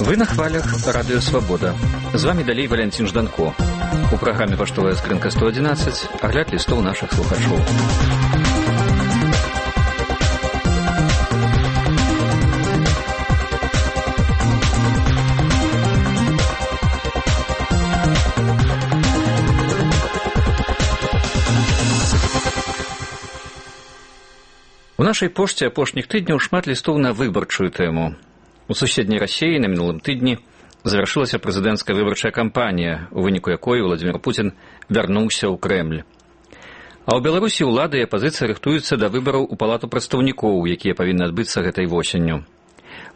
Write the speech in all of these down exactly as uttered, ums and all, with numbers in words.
Вы на хвалях Радыё Свабода. З вами далей Валянцін Жданко. У праграме «Паштовая скрынка сто адзінаццаць» агляд лістоў нашых слухачоў. У нашай пошце апошніх тыдняў шмат лістоў на выбарчую тэму. У суседняй Расіі на мінулым тыдні завяршылася прэзідэнцкая выбарчая кампанія, у выніку якой Владзімір Пуцін вярнуўся ў Крэмль. А ў Беларусі ўлада і апазіцыя рыхтуюцца да выбараў у палату прадстаўнікоў, якія павінны адбыцца гэтай восенню.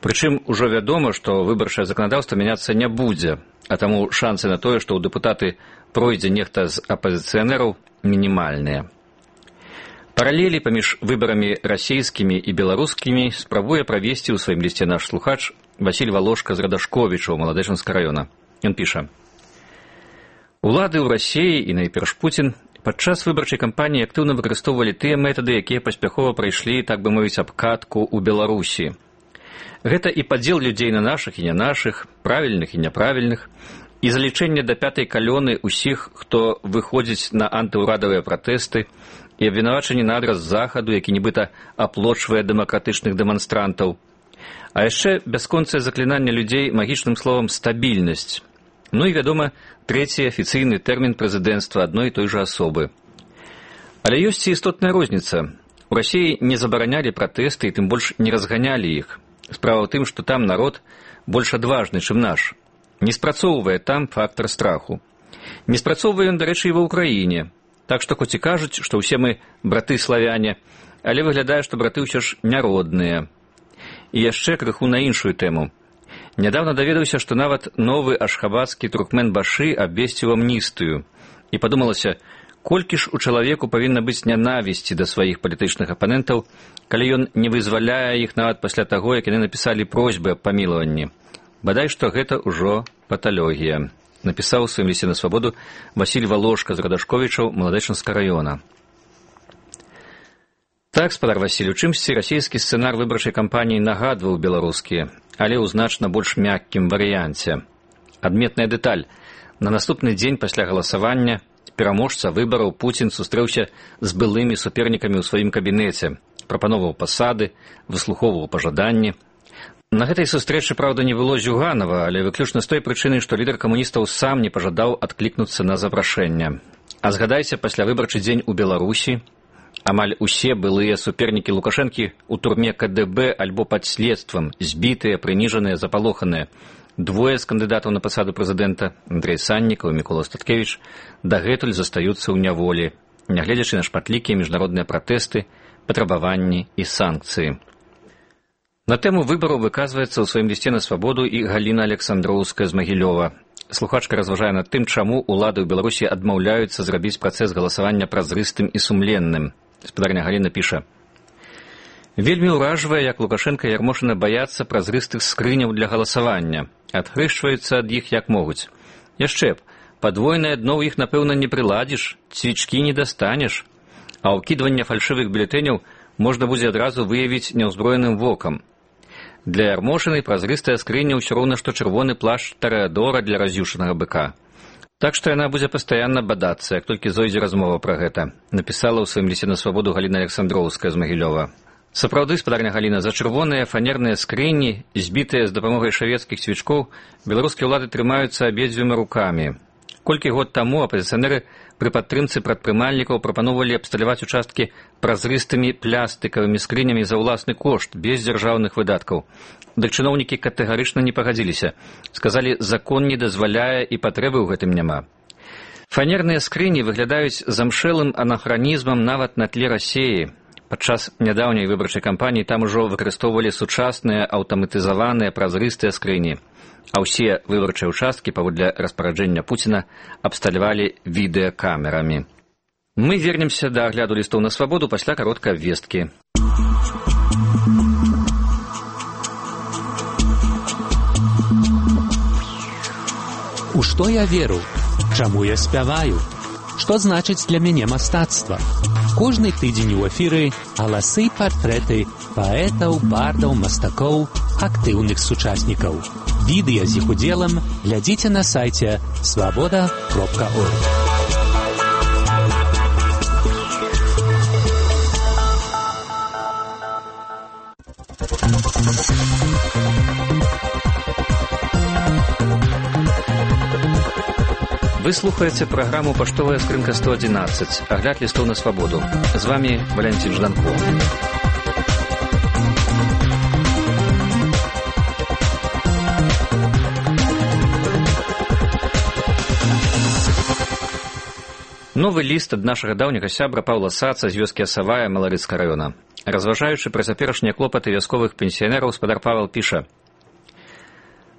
Прычым ужо вядома, што выбарчае заканадаўства мяняцца не будзе, а таму шансы на тое, што ў дэпутаты пройдзе нехта з апазіцыянераў, мінімальныя. Паралелі паміж выбарамі расійскімі і беларускімі спрабуе правесці ў сваім лісце наш слухач Васіль Валошка з Радашковіча ў Маладэчынска раёна. Ён піша: «Улады ў Расіі і найперш Пуцін падчас выбарчай кампаніі актыўна выкарыстоўвалі тыя метады, якія паспяхова прайшлі, так бы мовіць, абкатку ў Беларусі. Гэта і падзел людзей на нашых і не нашых, правільных і няправільных, і залічэнне да пятай калёны ўсіх, хто выходзіць на антыўрадавыя пратэсты, і абвінавачанне на адрас захаду, які нібыта аплочвае дэмакратычных дэманстрантаў. А яшчэ бясконцае заклінанне людзей магічным словам «стабільнасць». Ну і, вядома, трэці афіцыйны тэрмін прэзідэнцтва адной і той жа асобы. Але ёсць і істотная розніца. У Расіі не забаранялі пратэсты і тым больш не разганялі іх. Справа ў тым, што там народ больш адважны, чым наш. Не спрацоўвае там фактар страху. Не спрацоўвае ён, дарэчы, і ва ўкраіне. Так што хоць і кажуць, што ўсе мы браты-славяне, але выглядае, што браты ўсё ж няродныя. І яшчэ крыху на іншую тэму. Нядаўна даведаўся, што нават новы ашхабадскі Туркмен-Башы абвесціў амністыю. І падумалася, колькі ж у чалавеку павінна быць нянавісці да сваіх палітычных апанентаў, калі ён не вызваляе іх нават пасля таго, як яны напісалі просьбы аб памілаванні. Бадай, што гэта ўжо паталогія. Напісаў у сваім лісце на свабоду Васіль Валошка з Радашковічаў Маладэчынска раёна. Так, спадар Васіль, у чымсьці расійскі сцэнар выбарчай кампаніі нагадваў беларускі, але ў значна больш мяккім варыянце. Адметная дэталь. На наступны дзень пасля галасавання пераможца выбараў Пуцін сустрэўся з былымі супернікамі ў сваім кабінеце, прапановаў пасады, выслухоўваў пажаданні. На гэтай сустрэчы, праўда, не было Зюганова, але выключна з той прычыны, што лідар камуністаў сам не пажадаў адклікнуцца на запрашэнне. А згадайце, пасля выбарчы дзень у Беларусі амаль усе былыя супернікі Лукашэнкі ў турме ка дэ бэ альбо пад следствам, збітыя, прыніжаныя, запалоханыя. Двое з кандыдатаў на пасаду прэзідэнта, Андрэй Саннікаў і Мікола Статкевіч, дагэтуль застаюцца ў няволі, нягледзячы на шматлікія міжнародныя пратэсты, патрабаванні і санкцыі. На тэму выбараў выказваецца ў сваім лісце на свабоду і Галіна Александроўская з Магілёва. Слухачка разважае над тым, чаму ўлады ў Беларусі адмаўляюцца зрабіць працэс галасавання празрыстым і сумленным. Спадарня Галіна піша: «Вельмі ўражвае, як Лукашенка і Ярмошына баяцца празрыстых скрыняў для галасавання, адхрышчваюцца ад іх як могуць. Яшчэ б, падвойнае дно ў іх, напэўна, не прыладзіш, цвічкі не дастанеш, а ўкідванне фальшывых бюлетэняў можна будзе адразу выявіць няўзброеным вокам. Для Ярмошыны празрыстая скрыня ўсё роўна, што чырвоны плашч Тарэадора для раз'юшанага быка. Так што яна будзе пастаянна бадацца, як толькі зойдзе размова пра гэта», напісала ў сваім лісце на свабоду Галіна Александроўская з Магілёва. Сапраўды, спадарня Галіна, за чырвоныя фанерныя скрыні, збітыя з дапамогай шавецкіх цвічкоў, беларускія ўлады трымаюцца абедзвюма рукамі. Колькі год таму апазіцыянеры пры падтрымцы прадпрымальнікаў прапаноўвалі абсталяваць участкі празрыстымі плястыкавымі скрынямі за ўласны кошт, без дзяржаўных выдаткаў. Дык чыноўнікі катэгарычна не пагадзіліся. Сказалі, закон не дазваляе і патрэбы ў гэтым няма. Фанерныя скрыні выглядаюць замшэлым анахранізмам нават на тле Расіі. Падчас нядаўняй выбарчай кампаніі там ужо выкарыстоўвалі сучасныя аўтаматызаваныя празрыстыя скрыні. А ўсе выбарчыя ўчасткі, паводле распараджэння Пуціна, абсталявалі відэакамерамі. Мы вернемся да агляду лістоў на свабоду пасля кароткай абвесткі. У што я веру? Чаму я спяваю? Што значыць для мяне мастацтва? Кожны тыдзень у эфіры галасы і партрэты паэтаў, бардаў, мастакоў, актыўных сучаснікаў. Відэа з іх удзелам глядзіце на сайце свабода кропка орг. Вы слухаеце праграму «Паштовая скрынка сто адзінаццаць», агляд лістоў на свабоду. З вами Валянцін Жданков. Новы ліст ад нашага даўняга сябра Паўла Саца з вёскі Асавая Маларыцкага раёна. Разважаючы пра цяперашнія клопаты вясковых пенсіянераў, спадар Павел піша: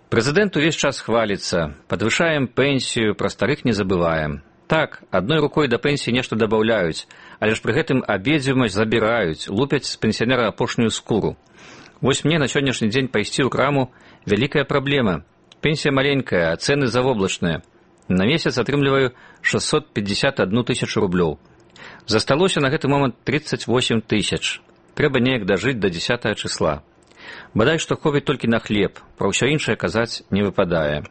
«Прэзідэнт увесь час хваліцца, падвышаем пенсію, пра старых не забываем. Так, адной рукой да пенсіі нешта дабаўляюць, але ж пры гэтым абедзвюмасць забіраюць, лупяць з пенсіянера апошнюю скуру. Вось мне на сённяшні дзень пайсці ў краму вялікая праблема. Пенсія маленькая, а цэны завоблачныя. На месяц атрымліваю шэсцьсот пятьдесят одну тысячу рублёў. Засталося на гэты момант тридцать восемь тысяч. Трэба неяк дажыць да дзесятага числа. Бадай што хопіць толькі на хлеб, пра ўсё іншае казаць не выпадае.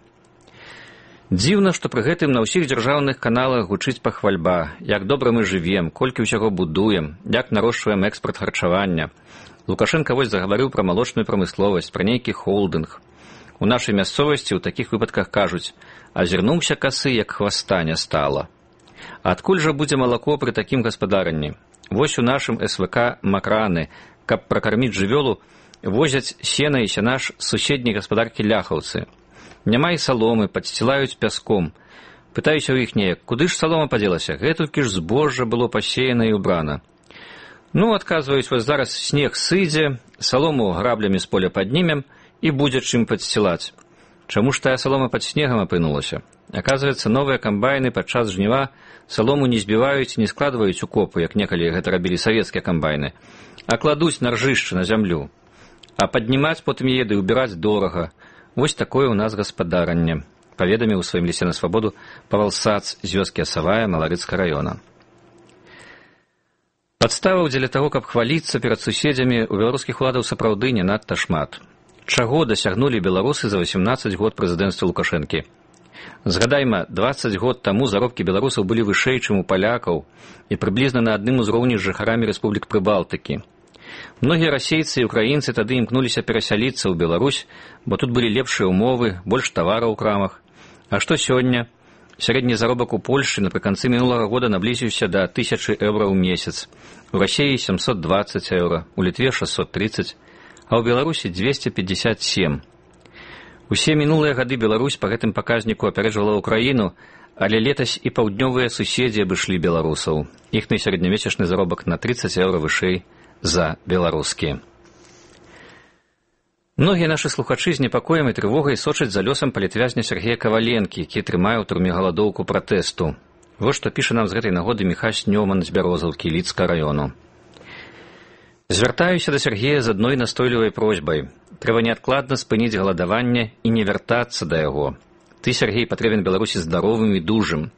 Дзіўна, што пры гэтым на ўсіх дзяржаўных каналах гучыць пахвальба, як добра мы жывем, колькі ўсяго будуем, як нарошчваем экспарт харчавання. Лукашенка вось загаварыў пра малочную прамысловасць, пра нейкі холдынг. У нашай мясцовасці ў такіх выпадках кажуць: азірнуўся касы, як хваста не стала. Адкуль жа будзе малако пры такім гаспадаранні? Вось у нашым эс вэ ка макраны, каб пракарміць жывёлу, возяць сена і сянаш з суседняй гаспадаркі ляхаўцы. Няма і саломы, падсцілаюць пяском. Пытаюся ў іх неяк: куды ж салома падзелася? Гэтулькі ж збожжа было пасеяна і ўбрана. Ну, адказваюць, вось зараз снег сыдзе, салому граблямі з поля паднімем і будзе чым падсцілаць. Чаму ж тая салома пад снегам апынулася? Аказваецца, новыя камбайны падчас жніва салому не збіваюць, не складваюць у копу, як некалі гэта рабілі савецкія камбайны, а кладуць на ржышчы, на зямлю. А паднімаць потым яе ды ўбіраць дорага. Вось такое ў нас гаспадаранне, паведаміў у сваім лісце на свабоду Павел Сац з вёскі Асавая Маларыцкага раёна. Падставаў дзеля таго, каб хваліцца перад суседзямі, у беларускіх уладаў сапраўды не надта шмат. Чаго дасягнулі беларусы за восемнадцаць год прэзідэнцтва Лукашэнкі? Згадайма, дваццаць год таму заробкі беларусаў былі вышэй, чым у палякаў, і прыблізна на адным узроўні з жыхарамі рэспублік Прыбалтыкі. Многія расейцы і украінцы тады імкнуліся перасяліцца ў Беларусь, бо тут былі лепшыя ўмовы, больш тавараў у крамах. А што сёння? Сярэдні заробак у Польшчы напрыканцы мінулага года наблізіўся да тысячы еўра ў месяц. У Расіі семьсот двадцать еўра, у Літве шестьсот тридцать, а ў Беларусі двести пятьдесят семь. Усе мінулыя гады Беларусь па гэтым паказніку апярэджвала ўкраіну, але летась і паўднёвыя суседзі абышлі беларусаў. Іхны сярэднямесячны заробак на тридцать еўра вышэй за беларускі. Многія нашы слухачы з непакоем і трывогай сочаць за лёсам палітвязня Сергея Каваленкі, які трымае ў турме галадоўку пратэсту. Вось што піша нам з гэтай нагоды Міхась Нёман з Бярозаўкі Лідскага раёну. Звяртаюся да Сергея з адной настойлівай просьбай. Трэба неадкладна спыніць галадаванне і не вяртацца да яго. Ты, Сергей, патрэбен Беларусі здаровым і дужым.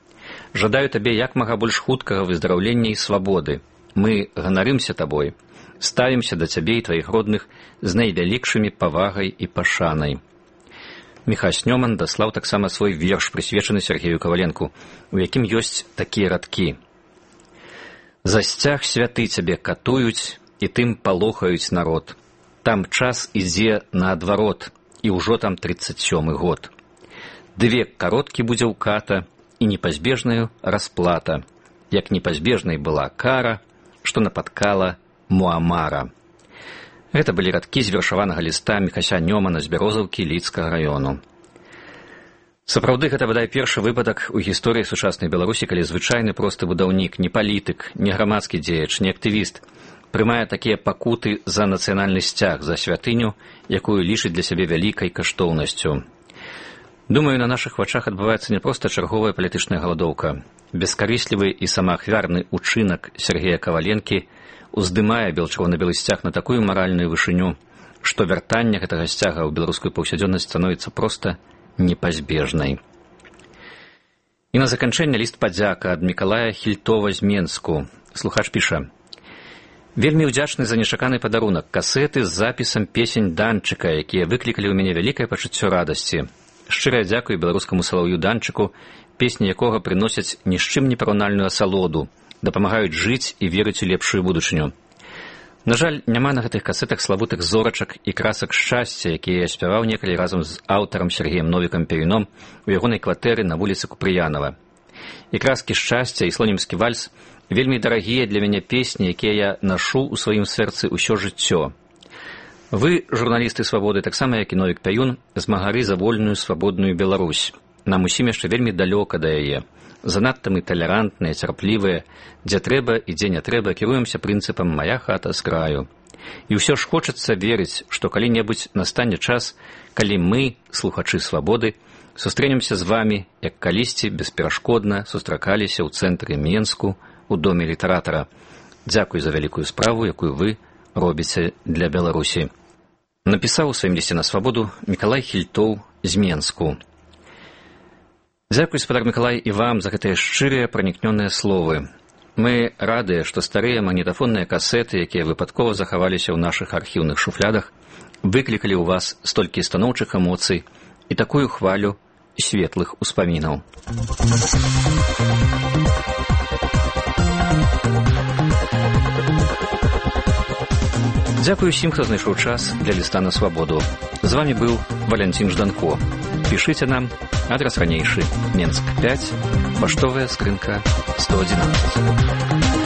Жадаю табе як мага больш хуткага выздараўлення і свабоды. Мы ганарымся табой. Ставімся да цябе і тваіх родных з найвялікшымі павагай і пашанай. Міхась Нёман даслаў таксама свой верш, прысвечаны Сергею Каваленку, у якім ёсць такія радкі. За сцяг святы цябе катуюць, і тым палохаюць народ. Там час ідзе наадварот, і ўжо там тридцать сёмы год. Ды век кароткі будзе ўката, і непазбежнаю расплата, як непазбежнай была кара, што напаткала Муамара. Гэта былі радкі з вершаванага ліста Міхася Нёмана з Бярозаўкі Лідскага раёну. Сапраўды, гэта бадай першы выпадак у гісторыі сучаснай Беларусі, калі звычайны просты будаўнік, не палітык, не грамадскі дзеяч, не актывіст, прымае такія пакуты за нацыянальны сцяг, за святыню, якую лічыць для сябе вялікай каштоўнасцю. Думаю, на нашых вачах адбываецца не проста чарговая палітычная галадоўка. Бескарыслівы і самаахвярны учынак Сергея Каваленкі уздымае бел-чырвона-белы сцяг на такую маральную вышыню, што вяртанне гэтага сцяга ў беларускую паўсядзённасць становіцца проста непазбежнай. І на заканчэнне ліст падзяка ад Мікалая Хільтова з Менску. Слухач піша: «Вельмі ўдзячны за нечаканы падарунак, касеты з запісам песень Данчыка, якія выклікалі ў мяне вялікае пачуццё радасці. Шчырая дзякуй беларускаму салаўю Данчыку, песні якога прыносяць ні з чым не параўнальную асалоду, дапамагаюць жыць і верыць у лепшую будучыню. На жаль, няма на гэтых касетах славутых зорачак і красак шчасця, якія я спяваў некалі разам з аўтарам Сергеем Новікам Перюном у ягонай кватэры на вуліцы Купрыянава. І краскі шчасця, і слонімскі вальс вельмі дарагія для мяне песні, якія я нашу ў сваім сэрцы ўсё жыццё. Вы, журналісты «Свабоды», таксама як і Новік Пяюн, змагары за вольную свабодную Беларусь. Нам усім яшчэ вельмі далёка да яе. Занадта мы талерантныя, цярплівыя, дзе трэба і дзе не трэба кіруемся прынцыпам «мая хата з краю». І ўсё ж хочацца верыць, што калі-небудзь настане час, калі мы, слухачы «Свабоды», сустрэнемся з вамі, як калісьці бесперашкодна сустракаліся ў цэнтры Менску, у доме літаратара. Дзякуй за вялікую справу, якую вы робіце для Беларусі. Напісаў у сваім лісце на «Свабоду» Мікалай Хільтоў з Менску. Дзякуй, спадар Мікалай, і вам за гэтыя шчырыя пранікнёныя словы. Мы радыя, што старыя магнітафонныя касеты, якія выпадкова захаваліся ў нашых архіўных шуфлядах, выклікалі ў вас столькі станоўчых эмоцый і такую хвалю светлых успамінаў. Дзякую усім, хто знайшоў час для ліста на «Свабоду». З вами быў Валянцін Жданко. Пішыце нам, адрас ранейшы, Менск пяць, паштовая скрынка сто адзінаццаць.